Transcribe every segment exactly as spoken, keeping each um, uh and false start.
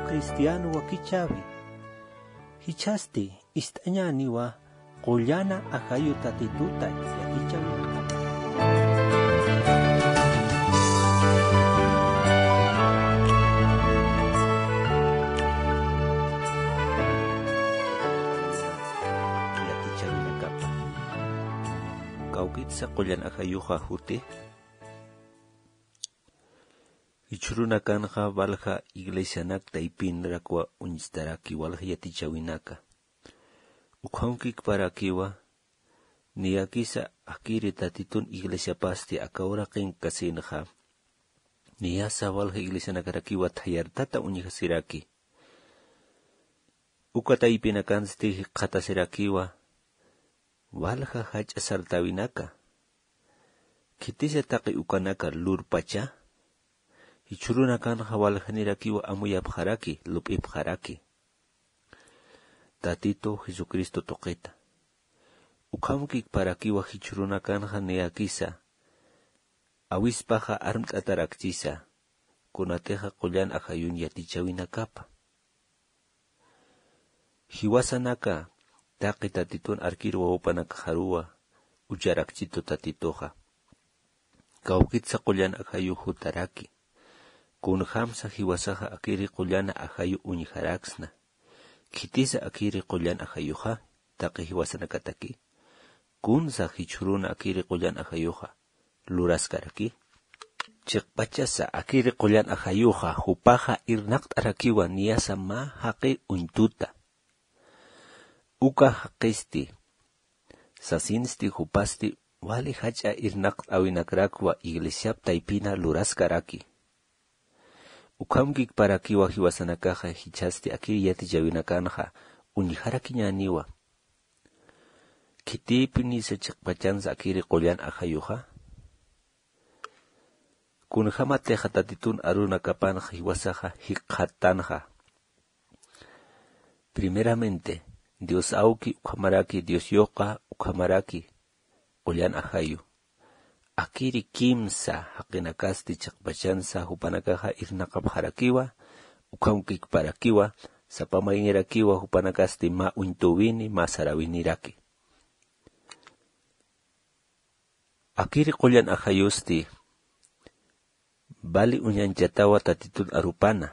Cristiano wakichäwi. Jichhasti ist'añäniwa qullana ajayu Tatituta yatichäwinakapa. Yatichäwinakapa. Kawkitsa qullan ajayuxa juti. Jichhürunakanxa walja iglesianak taypinrakwa uñstaraki walja yatichäwinaka. Ukham kikparakiwa, niyakisa akiri Tatitun iglesiapasti aka uraqinkasinxa, niyasa walja iglesianakarakiwa thayartata uñjasiraki. Uka taypinakansti jikxatasirakiwa, walja jach'a sartäwinaka. Khitisa taqi ukanaka lurpacha, jichhürunakanxa waljanirakiwa amuyapxaraki, lup'ipxaraki Tatitu Jesucristo tuqita. Ukham kikparakiwa jichhürunakanxa niyakisa awispaxa armt'atarakchisa, kunatixa qullan ajayun yatichäwinakapa. Jiwasanaka taqi Tatitun arkir wawapanakaxaruwa ucharakchitu Tatituxa. Kawkitsa qullan ajayu jutaraki. Kunjamsa jiwasaxa akiri qullana ajayu uñjaraksna. Khitisa akiri qullan ajayuxa, taqi jiwasanakataki. Kunsa jichhüruna akiri qullan ajayuxa luraskaraki. Chiqpachasa akiri qullan ajayuxa, jupaxa irnaqt'arakiwa niyasa mä jaqi uñtuta. Uka jaqisti, sasinsti jupasti, wali jach'a irnaqt'äwinakrakwa iglesiap taypina luraskaraki. Ukham kikparakiwa jiwasanakaxa jichhasti akiri yatichäwinakanxa uñjarakiñäniwa. Khitïpinisa chiqpachansa akiri qullan ajayuxa. Kunjamatixa Tatitun arunakapanxa jiwasaxa jikxattanxa. Primeramente, Dios awki ukhamaraki, Dios yuqa ukhamaraki, qullan ajayu. Akiri kimsa jaqinakasti chiqpachansa jupanakaxa irnaqapxarakiwa, ukham kikparakiwa, sapa mayñarakiwa jupanakasti mä uñtüwini, mä saräwiniraki. Akiri qullan ajayusti, vali uñanchatawa Tatitun arupana.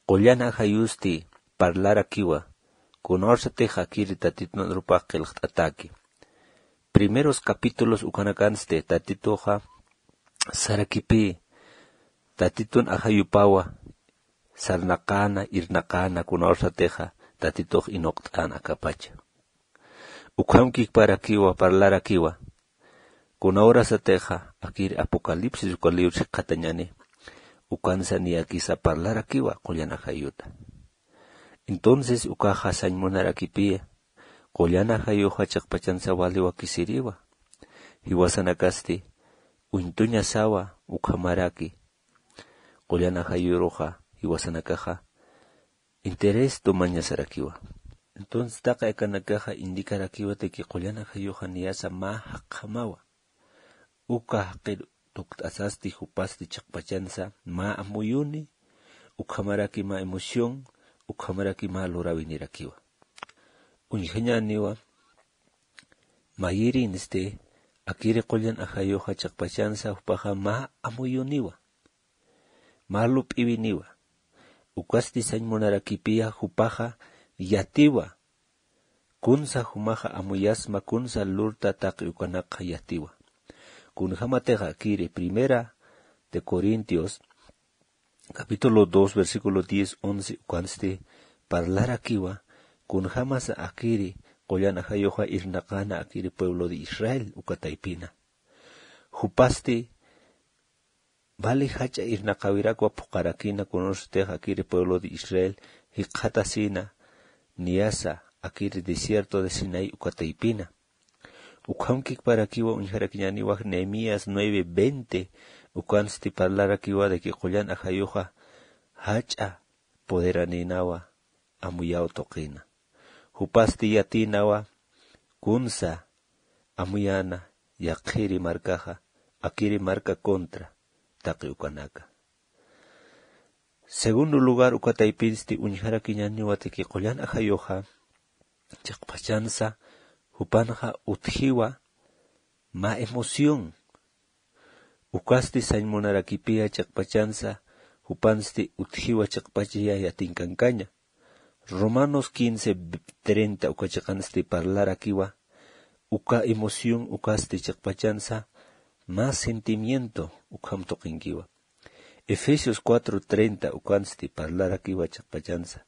Qullan ajayusti parlarakiwa, kunawsatix akiri Tatitun arupax qillqt'ataki. Primeros capítulos ukanakansti Tatituxa sarakipï, Tatitun ajayupawa sarnaqäna, irnaqäna, kunawsatixa Tatitux inuqt'an akapacha. Ukham kikparakiwa, parlarakiwa. Kunawrasatixa akir Apocalipsis uka libro jikxatañäni, ukansa niyakisa parlarakiwa qullan ajayuta. Entonces ukaxa sañ munarakipï, qullan ajayuxa chiqpachansa wali wakisiriwa. Jiwasanakasti uñtuñasawa ukhamaraki. Qullan ajayuruxa jiwasanakaxa interés tumañasarakiwa. Entonces taqi akanakaxa indicarakiwa de que qullan ajayuxa niyasa mä jaqjamawa. Uka jaqir tukt'asasti jupasti chiqpachansa mä amuyuni, ukhamaraki mä emoción, ukhamaraki mä luräwinirakiwa. Uñjañäniwa, mayirinsti akiri qullan ajayuxa chiqpachansa jupaxa mä amuyuniwa, mä lup'iwiniwa. Ukasti sañ munarakipï jupaxa yatiwa. Kunsa jumaxa amuyasma, kunsa lurta taqi ukanakxa yatiwa. Kunjamatixa akiri Primera de Corintios, capítulo dos, versículo diez, once, ukansti parlarakiwa, kunjamasa akiri qullan ajayuxa irnaqäna akiri pueblo de Israel uka taypina. Jupasti vali jach'a irnaqäwirakwa phuqarakïna, kunawsatix akiri pueblo de Israel jikxatasïna, niyasa akiri desierto de Sinaí uka taypina. Ukham kikparakiwa uñjarakiñäniwa Nehemías nueve veinte, ukansti parlarakiwa de que qullan ajayuxa jach'a poderanïnawa amuyaw tuqina. Jupasti yatïnawa kunsa amuyäna yaqhiri markaxa, akiri marka contra taqi ukanaka. Segundo lugar, uka taypinsti uñjarakiñaniwa tiki qullan ajayuxa chiqpachansa jupanxa utjiwa mä emoción. Ukasti sañ munarakipiya chiqpachansa jupansti utjiwa chiqpachaya yatinkankaña. Romanos quince treinta uka chiqansti parlarakiwa uka emoción ukasti chiqpachansa mä sentimiento ukham tuqinkiwa. Efesios cuatro treinta ukansti parlarakiwa chiqpachansa.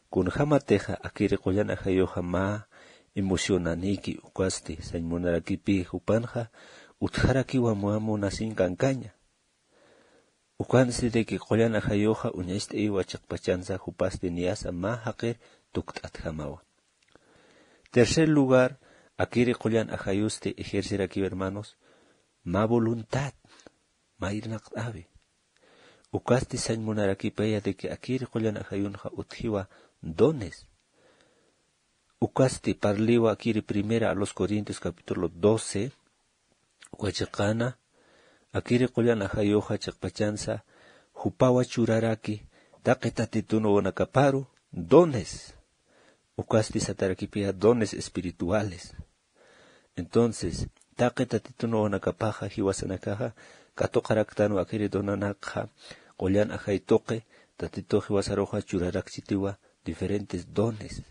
Kunjamatixa akiri qullan ajayuxa mä emocionaniki ukasti sañ munarakipi jupanxa utjarakiwa mä munasiñ kankaña. Ukansti tiki qullan ajayuxa uñacht'ayiwa chiqpachansa jupasti niyasa mä jaqir tukt'atjamawa. Tercer lugar, akiri qullan ajayusti ejercerakiwa hermanos mä voluntad mä irnaqt'awi. Ukasti sañ munarakipaya tiki akiri qullan ajayunxa utjiwa dones. Ukasti parliwa akiri primera a los corintios capítulo doce uka chiqana. Akiri qullan ajayuxa chiqpachansa jupawa churaraki taqi tatitun wawanakaparu dones. Ukasti satarakipiya dones espirituales. Entonces taqi tatitun wawanakapaxa jiwasanakaxa katuqaraktanwa akiri donanakxa qullan ajay tuqi tatitu jiwasaruxa churarakchitiwa diferentes dones.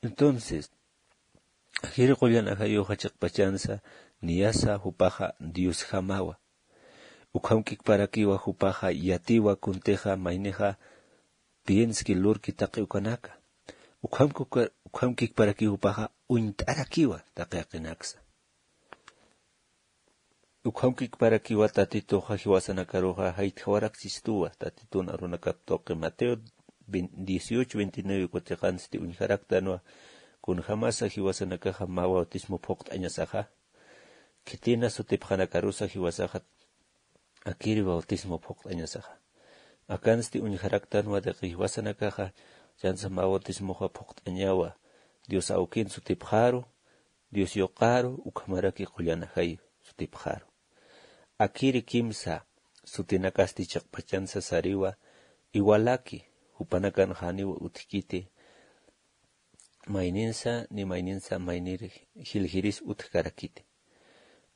Entonces akiri qullan ajayuxa chiqpachansa niyasa jupaxa diosjamawa. Ukham kikparakiwa jupaxa yatiwa kuntixa maynixa pienski lurki taqi ukanaka. Ukham kikparakiwa jupaxa uñt'arakiwa taqi jaqinaksa. Ukham kikparakiwa tatituxa jiwasanakaruxa jaytjawarakchistuwa tatitun arunakap tuqi mateo dieciocho veintinueve kutiqansti uñjaraktanwa. Kunjamasa jiwasanakaxa mä bautismo phuqt'añasaxa khitina sutipxanakarusa jiwasaxa akiri bautismo phuqt'añasaxa. Akansti uñjaraktanwa taqi jiwasanakaxa chansa mä bautismoxa phuqt'añawa dios awkin sutipxaru dios yuqaru ukhamaraki qullan ajay sutipxaru. Akiri kimsa sutinakasti chiqpachansa sariwa iwalaki jupanakan janiwa utjkiti mayninsa ni mayninsa maynir jiljiris utjkarakiti.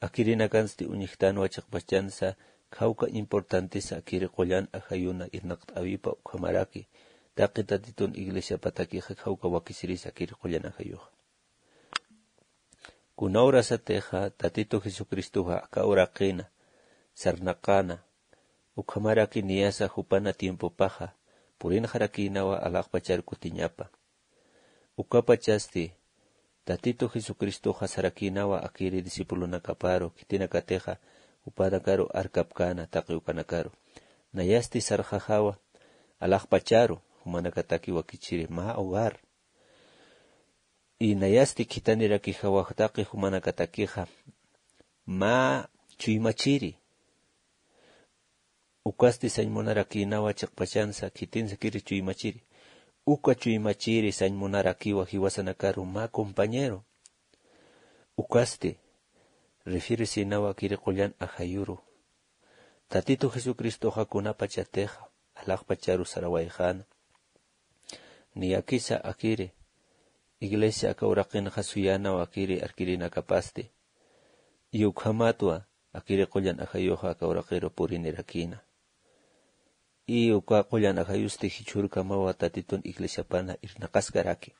Akirinakansti uñjtanwa chiqpachansa khawka importantisa akiri qullan ajayuna irnaqt'awipa ukhamaraki taqi tatitun iglesiapatakixa khawka wakisirisa akiri qullan ajayuxa. Kuna urasatixa tatitu jesucristoxa aka uraqina sarnaqana ukhamaraki niyasa jupana tiempopaxa purinxarakïnawa alaxpachar kutiñapa. Ukapachasti tatitu jesucristoxa sarakïnawa akiri discipulonakaparu khitinakatixa jupanakaru arkapkäna taqi ukanakaru. Nayasti sarxaxawa alaxpacharu jumanakataki wakichiri mä hogar. Inayasti khithanirakijawaxtaqi jumanakatakixa mä chuymachiri. Ukasti sañmunarakinawa chiqpachansa khitinsakiri chuymachiri. Uka chuymachiri sañmunarakiwa jiwasanakaru mä compañero. Ukasti refirisinawa kiri qullan ajayuru. Tatitu jesucristoxa kunapachatixa alaxpacharu sarawayxana. Niyakisa akiri iglesia aka uraqinxa suyanaw akiri arkirinakapasti. Iyukhamatwa akiri qullan ajayuxa aka uraqiru purinirakina. Iyuka qullan ajayusti jichhurkamawa tatitun iglesiapana irnaqaskaraki.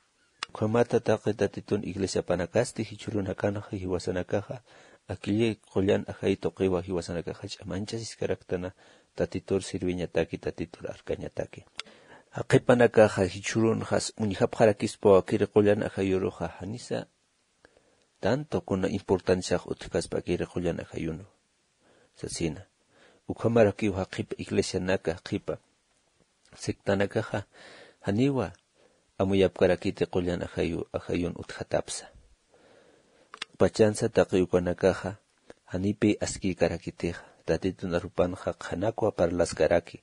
Ukhamata taqi tatitun iglesiapanakasti jichhurunakanxa jiwasanakaxa akilli qullan ajay tuqiwa jiwasanakaxa ch'amanchasiskaraktana tatitur sirviñataki tatitur arkañataki. Jaqipanakaxa jichhurunxas uñjapxarakispawa kiri qullan ajayuruxa janisa tanto kuna importanciax utjkaspa kiri qullan ajayunu sasina. Ukhamarakiw jaqhipa iglesianaka jaqhipa sectanakaxa janiwa amuyapkarakiti qullan ajayu ajayun utjatapsa. Pachansa taqi ukanakaxa janipi askïkarakitixa tatitun arupanxa qhanakwa parlaskaraki.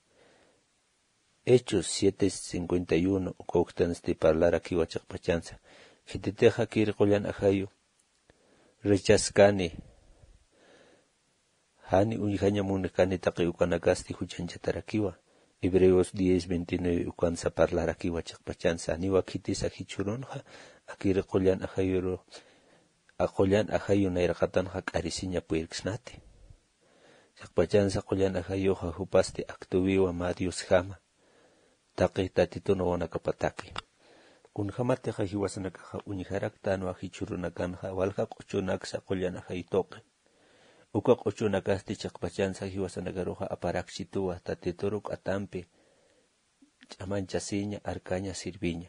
Hechos siete cincuenta y uno uka uktansti parlarakiwa chiqpachansa. Khititixa kiri qullan ajayu rechaskani jani uñjañamunkani taqi ukanakasti juchañchatarakiwa. Hebreos diez veintinueve ukansa parlarakiwa chiqpachansa, janiwa khitisa jichhürunxa, akiri qullan ajayuru, a qullan ajayu nayraqatanxa k'arisiña puyirksnati. Chiqpachansa qullan ajayuxa jupasti aktuwiwa mä Diosjama, taqi Tatitun wawanakapataki. Kunjämatixa jiwasanakaxa uñjaraktanwa jichhürunakanxa walja q'uchunaksa qullan ajayu tuqi. Uka q'uchunakasti chiqpachansa jiwasanakaruxa aparaksituwa Tatituru k'atampi ch'amañchasiña, arkaña, sirviña.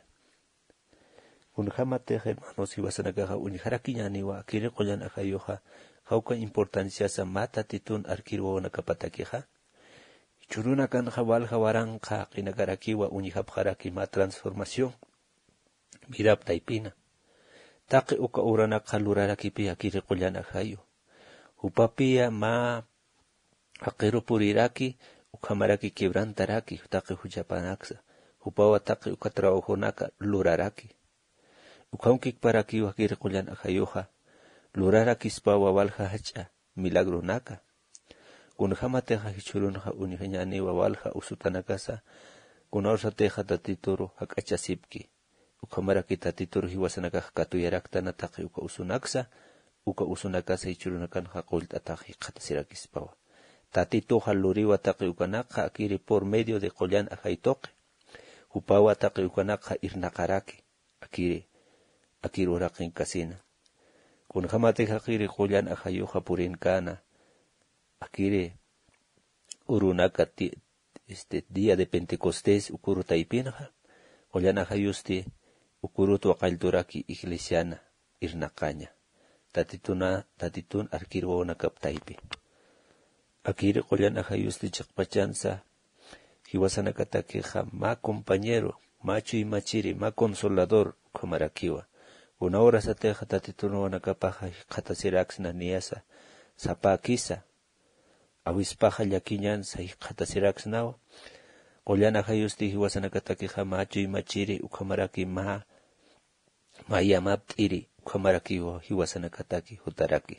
Kunjämatix, hermanos, jiwasanakaxa uñjarakiñäniwa akiri qullan ajayuxa, jawka importanciasa mä Tatitun arkir wawanakapatakixa. Jichhürunakanxa walja waranqa jaqinakarakiwa uñjapxaraki mä transformación vidap taypina. Taqi uka obranakxa lurarakipï akiri qullan ajayu. Jupapiya mä jaqiru puriraki, ukhamaraki quebrantaraki taqi juchapanaksa. Jupawa taqi uka trabajonaka luraraki. Ukhamkikparakiwa akiri qullan ajayuxa, lurarakispawa walja jach'a milagronaka. Kunjämatixa jichhürunxa uñjañäniwa walja usutanakasa, kunawsatixa Tatituru jak'achasipki. Ukhamaraki Tatituru jiwasanakax katuyaraktana taqi uka usunaksa, uka usunakasa jichhürunakanxa qullt'atax jikxatasirakispawa. Tatituxa luriwa taqi ukanakxa akiri por medio de qullan ajay tuqi. Jupawa taqi ukanakxa irnaqaraki, akiri, akir uraqinkasina. Kunjämatix akiri qullan ajayuxa purinkana, akiri urunaka ti-, este, día de Pentecostés ukuru taypinxa, qullan ajayusti ukurut waqallturaki iglesiana irnaqaña. Tatituna, Tatitun arkir wawanakap taypi. Akiri qullan ajayusti chiqpachansa, jiwasanakatakixa mä compañero, mä chuymachiri, mä consolador ukhamarakiwa. Kuna horasatixa Tatitun wawanakapaxa jikxatasiraksna niyasa, sapäkisa, awispaxa llakiñansa jikxatasiraksnawa. Qullan ajayusti jiwasanakatakixa mä chuymachiri ukhamaraki mä, mä yamapt'iri ukhamarakiwa jiwasanakataki jutaraki.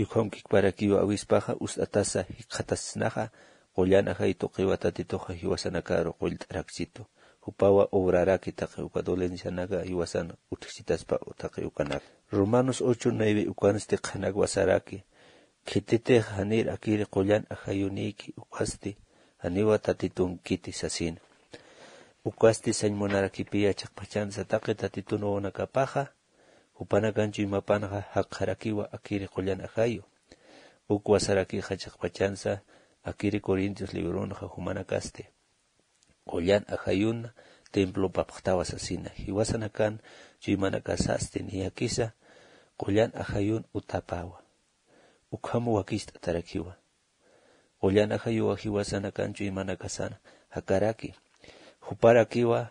Ukhamkikparakiwa awispaxa ust'atasa jikxatasisnaxa, qullan ajay tuqiwa Tatituxa jiwasanakaru qullt'araksitu. Jupawa obraraki taqi uka dolencianaka jiwasan utjchitaspa taqi ukanaka. Romanos ocho nueve ukansti qhanakwa saraki, khititix janir akiri qullan ajayunïki, ukasti janiwa Tatitunkiti sasina. Ukasti sañ munarakipiya chiqpachansa taqi Tatitun wawanakapaxa, jupanakan chuymapanxa jakxarakiwa akiri qullan ajayu. Ukwa sarakixa chiqpachansa akiri Corintios libronxa jumanakasti, qullan ajayuna templopapxtawa sasina. Jiwasanakan chuymanakasasti niyakisa qullan ajayun utapawa. Ukham wakist'atarakiwa. Qullan ajayuwa jiwasanakan chuymanakasan jakaraki. Juparakiwa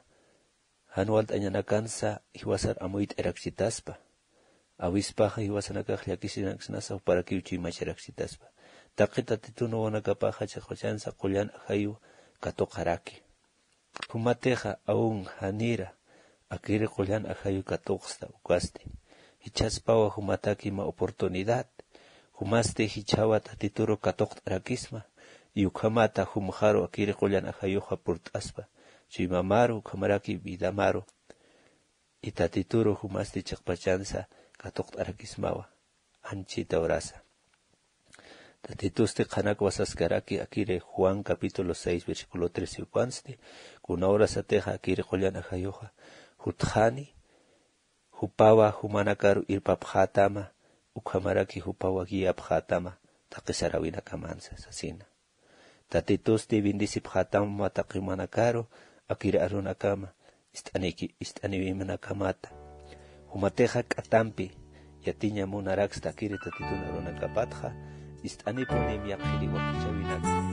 jan walt'añanakansa jiwasar amuyt'arakchitaspa. Awispaxa jiwasanakax llakisinaksnasa juparakiw chuymacharaksitaspa. Taqi Tatitun wawanakapaxa chiqpachansa qullan ajayu katuqaraki. Jumatixa aun janira akiri qullan ajayu katuqsta ukasti, jichhaspawa jumataki mä oportunidad. Jumasti jichhawa Tatituru katuqt'arakisma, y ukhamata jumxaru akiri qullan ajayuxa purt'aspa, chuymamaru ukhamaraki vidamaru. Y Tatituru jumasti chiqpachansa katuqt'arakismawa, anchhita urasa. Tatitusti qhanakwa saskaraki akiri Juan capítulo seis versículo trece ukansti, kuna horasatixa akiri qullan ajayuxa jutxani, jupawa jumanakaru irpapxätama, ukhamaraki jupawa guiapxätama taqi saräwinakamansa sasina. Tatitusti bendecipxätama taqi jumanakaru, akiri arunakama, ist'aniki-, ist'aniwinakamäta. Jumatixa k'atampi yatiña munaraksta akiri Tatitun arunakapatxa, ist'anipunim yaqhiri wakichäwinaka.